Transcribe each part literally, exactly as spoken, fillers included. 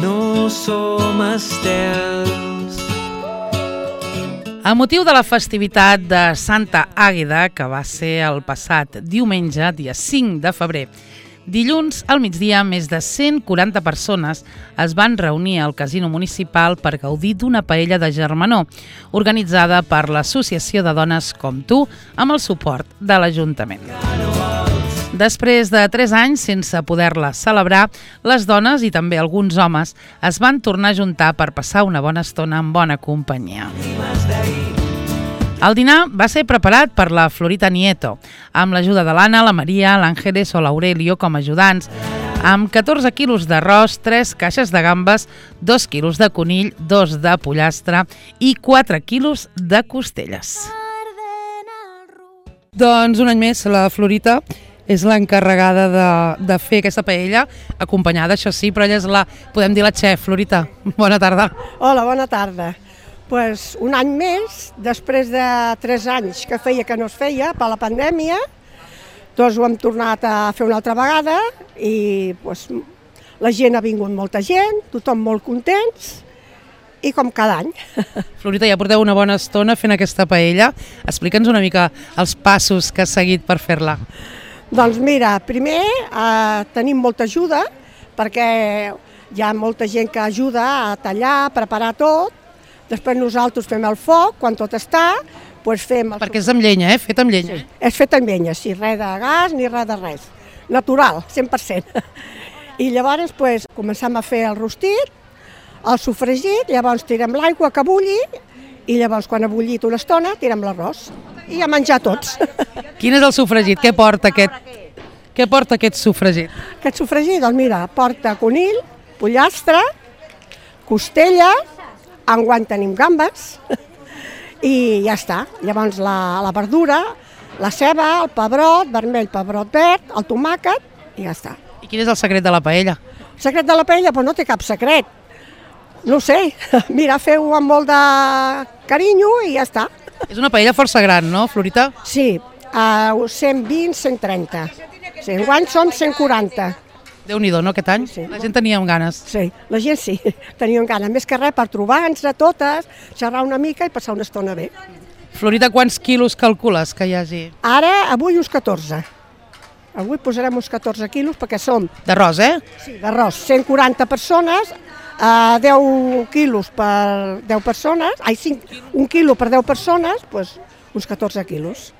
no som estels. A motiu de la festivitat de Santa Àgueda, que va ser el passat diumenge, dia cinc de febrer, dilluns al migdia, més de cent quaranta persones es van reunir al Casino Municipal per gaudir d'una paella de germanor, organitzada per l'Associació de Dones Com Tu, amb el suport de l'Ajuntament. Després de tres anys sense poder-la celebrar, les dones i també alguns homes es van tornar a juntar per passar una bona estona en bona companyia. El dinar va ser preparat per la Florita Nieto, amb l'ajuda de l'Anna, la Maria, l'Àngeles o l'Aurelio com a ajudants, amb catorze quilos d'arròs, tres caixes de gambes, dos quilos de conill, dos de pollastre i quatre quilos de costelles. Doncs un any més la Florita és l'encarregada de, de fer aquesta paella, acompanyada, això sí, però ella és la, podem dir la xef. Florita, bona tarda. Hola, bona tarda. Pues un any més, després de tres anys que feia que no es feia per la pandèmia, doncs ho hem tornat a fer una altra vegada i pues, la gent ha vingut molta gent, tothom molt contents i com cada any. Florita, ja porteu una bona estona fent aquesta paella. Explica'ns una mica els passos que has seguit per fer-la. Doncs mira, primer eh, tenim molta ajuda perquè hi ha molta gent que ajuda a tallar, a preparar tot. Després nosaltres fem el foc, quan tot està, doncs fem... El... Perquè és amb llenya, eh? Fet amb llenya. Sí, és fet amb llenya, sí, res de gas ni res de res. Natural, cent per cent. I llavors doncs, comencem a fer el rostit, el sofregit, llavors tirem l'aigua que bulli i llavors quan ha bullit una estona tirem l'arròs i a menjar tots. Quin és el sofregit? Què porta aquest, Què porta aquest sofregit? Aquest sofregit, doncs mira, porta conill, pollastre, costella, enguany tenim gambes i ja està. Llavors la, la verdura, la ceba, el pebrot vermell, pebrot verd, el tomàquet i ja està. I quin és el secret de la paella? El secret de la paella? Doncs no té cap secret. No sé, mira, feu amb molt de carinyo i ja està. És una paella força gran, no, Florita? Sí, uh, cent vint, cent trenta. Sí, enguany som cent quaranta. Déu-n'hi-do, no, aquest any? Sí. La gent tenia ganes. Sí, la gent sí, teníem ganes. Més que res per trobar-nos a totes, xerrar una mica i passar una estona bé. Florita, quants quilos calcules que hi hagi? Ara, avui uns catorze. Avui posarem uns catorze quilos perquè som... D'arròs, eh? Sí, d'arròs. cent quaranta persones, uh, deu quilos per deu persones, ai, cinc, un quilo per deu persones, doncs uns catorze quilos.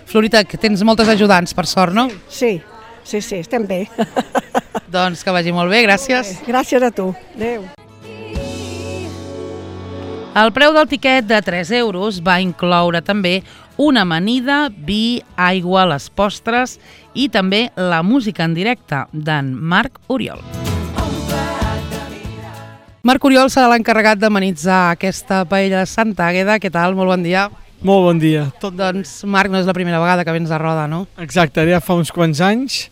Florita, que tens moltes ajudants, per sort, no? Sí, sí, sí, estem bé. Doncs que vagi molt bé, gràcies. Gràcies a tu. Adéu. El preu del tiquet de tres euros va incloure també una amanida, vi, aigua, les postres i també la música en directe d'en Marc Oriol. Marc Oriol serà l'encarregat d'amenitzar aquesta paella de Santa Àgueda. Què tal? Molt bon dia. Molt bon dia. Tot... Doncs, Marc, no és la primera vegada que vens a Roda, no? Exacte, ja fa uns quants anys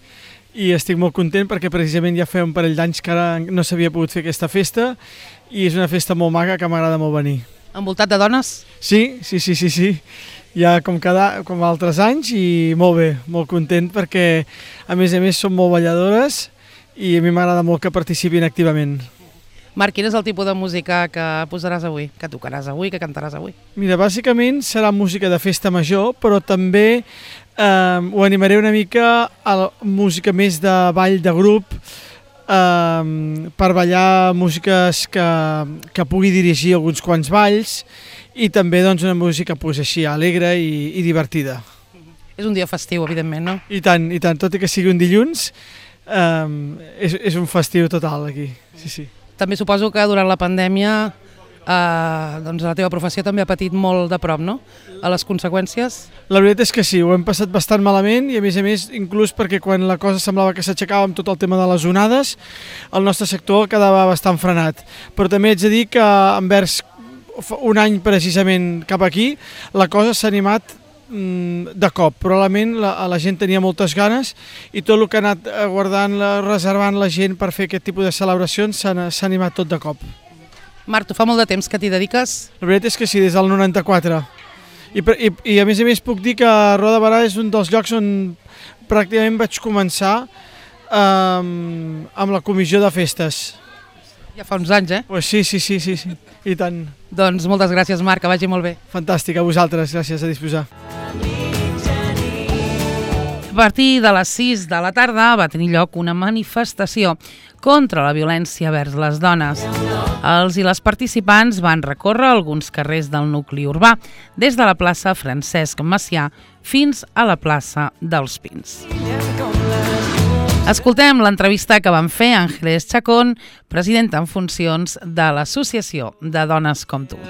i estic molt content perquè precisament ja feia un parell d'anys que ara no s'havia pogut fer aquesta festa i és una festa molt maca que m'agrada molt venir. Envoltat de dones? Sí, sí, sí, sí, sí. Ja com, cada, com altres anys i molt bé, molt content perquè a més a més són molt balladores i a mi m'agrada molt que participin activament. Marc, quin és el tipus de música que posaràs avui, que tocaràs avui, que cantaràs avui? Mira, bàsicament serà música de festa major, però també eh, ho animaré una mica a la música més de ball de grup, eh, per ballar músiques que, que pugui dirigir alguns quants balls i també doncs, una música pues, així alegre i, i divertida. És un dia festiu, evidentment, no? I tant, i tant, tot i que sigui un dilluns, eh, és, és un festiu total aquí, sí, sí. També suposo que durant la pandèmia eh, doncs la teva professió també ha patit molt de prop, no? A les conseqüències? La veritat és que sí, ho hem passat bastant malament i a més a més, inclús perquè quan la cosa semblava que s'aixecava amb tot el tema de les onades, el nostre sector quedava bastant frenat. Però també haig de dir que envers un any precisament cap aquí, la cosa s'ha animat de cop. Probablement la, la gent tenia moltes ganes i tot el que ha anat guardant, reservant la gent per fer aquest tipus de celebracions s'ha animat tot de cop. Marc, tu fa molt de temps que t'hi dediques? La veritat és que sí, des del noranta-quatre. I, i, I a més a més puc dir que Roda de Berà és un dels llocs on pràcticament vaig començar um, amb la comissió de festes. Ja fa uns anys, eh? Pues sí, sí, sí, sí, sí, i tant. Doncs moltes gràcies, Marc, que vagi molt bé. Fantàstic, a vosaltres, gràcies, a disposar. A partir de les sis de la tarda va tenir lloc una manifestació contra la violència vers les dones. Els i les participants van recórrer alguns carrers del nucli urbà, des de la plaça Francesc Macià fins a la plaça dels Pins. Escoltem l'entrevista que van fer Ángeles Chacón, presidenta en funcions de l'Associació de Dones com tu.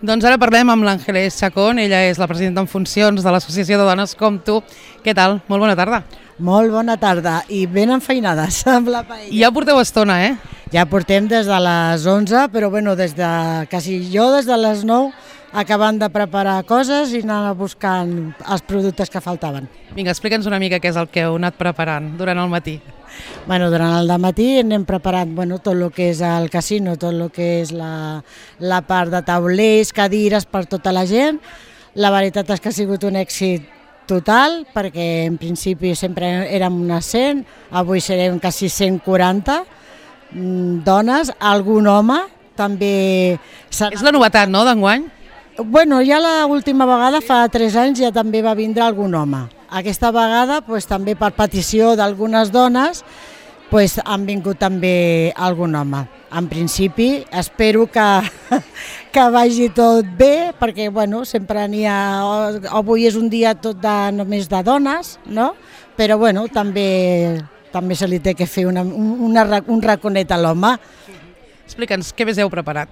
Doncs ara parlem amb l'Ángeles Chacón, ella és la presidenta en funcions de l'Associació de Dones com tu. Què tal? Molt bona tarda. Molt bona tarda i ben enfeinades amb la paella. Ja porteu estona, eh? Ja portem des de les onze, però bueno, des de, quasi jo des de les nou acabant de preparar coses i anar buscant els productes que faltaven. Vinga, explica'ns una mica què és el que heu anat preparant durant el matí. Bueno, durant el dematí hem preparat bueno, tot el que és el casino, tot el que és la, la part de taulers, cadires per tota la gent. La veritat és que ha sigut un èxit total, perquè en principi sempre érem unes cent, avui serem quasi cent quaranta dones, algun home també... És la novetat, no, d'enguany? Bueno, ja l'última vegada, fa tres anys, ja també va vindre algun home. Aquesta vegada, pues, també per petició d'algunes dones, pues, han vingut també algun home. En principi, espero que, que vagi tot bé, perquè bueno, sempre n'hi ha... Avui és un dia tot de, només de dones, no? Però bueno, també, també se li té que fer una, una, un raconet a l'home. Explica'ns, què més heu preparat?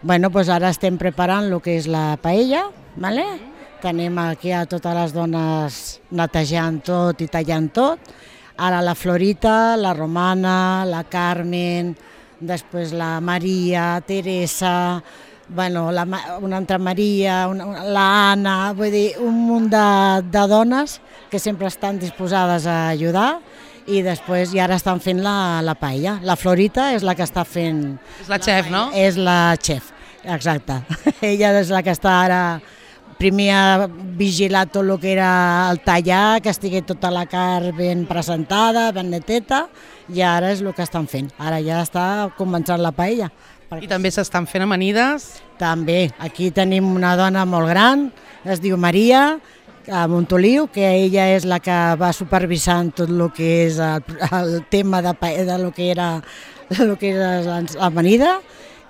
Bueno, doncs ara estem preparant el que és la paella, ¿vale? Tenim aquí a totes les dones netejant tot i tallant tot. Ara la Florita, la Romana, la Carmen, després la Maria, Teresa, bueno, la, una altra Maria, una, la Anna, vull dir, un munt de, de dones que sempre estan disposades a ajudar. I després i ara estan fent la, la paella. La Florita és la que està fent... És la xef, no? És la xef, exacte. Ella és la que està ara... Primer ha vigilat tot el que era el tallar, que estigui tota la carn ben presentada, ben neteta, i ara és el que estan fent. Ara ja està començant la paella. I també s'estan fent amanides? També. Aquí tenim una dona molt gran, es diu Maria, a Montoliu, que ella és la que va supervisant tot el que és el, el tema de, de lo que era, lo que era l'amanida.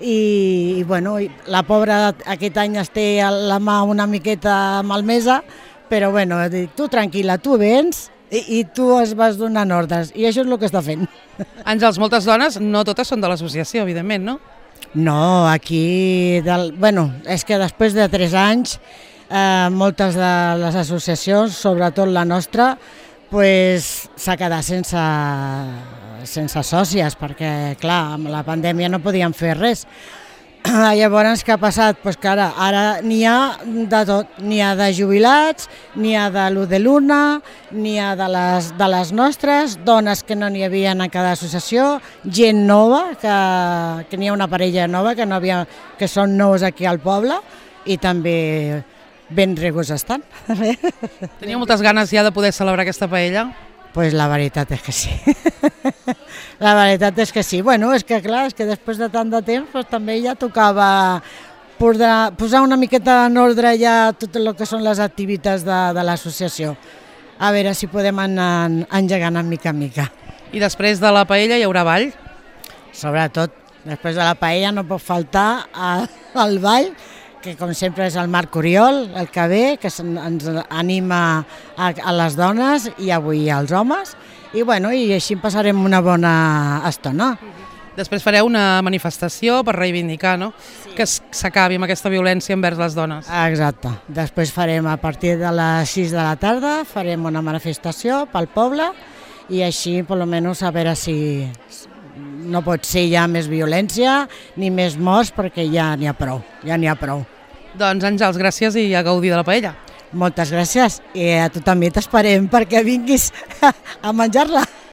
I, i bueno, la pobra aquest any es té la mà una miqueta malmesa, però bueno, dic, tu tranquil·la, tu vens i, i tu es vas donant ordres, i això és el que està fent. Àngels, moltes dones, no totes són de l'associació, evidentment, no? No, aquí, del, bueno, és que després de tres anys, eh, moltes de les associacions, sobretot la nostra, pues, s'ha quedat sense, sense sòcies, perquè clar, amb la pandèmia no podíem fer res. Llavors, què ha passat? Pues que ara, ara n'hi ha de tot, n'hi ha de jubilats, n'hi ha de l'u de l'una, n'hi ha de les, de les nostres, dones que no n'hi havia en cada associació, gent nova, que, que n'hi ha una parella nova que, no havia, que són nous aquí al poble, i també ben regos estan. Tenia moltes ganes ja de poder celebrar aquesta paella? Pues la veritat és que sí. La veritat és que sí. Bueno, és que clar, és que després de tant de temps pues, també ja tocava posar una miqueta en ordre ja tot el que són les activitats de, de l'associació. A veure si podem anar engegant en mica en mica. I després de la paella hi haurà ball? Sobretot, després de la paella no pot faltar el ball, que com sempre és el Marc Oriol, el que ve, que ens anima a, a les dones i avui als homes, i, bueno, i així passarem una bona estona. Després fareu una manifestació per reivindicar, no? Sí. Que s'acabi amb aquesta violència envers les dones. Exacte. Després farem, a partir de les sis de la tarda, farem una manifestació pel poble i així, per almenys, a veure si... No pot ser ja més violència ni més morts perquè ja n'hi ha prou, ja n'hi ha prou. Doncs Àngels, gràcies i a gaudir de la paella. Moltes gràcies i a tu també t'esperem perquè vinguis a menjar-la.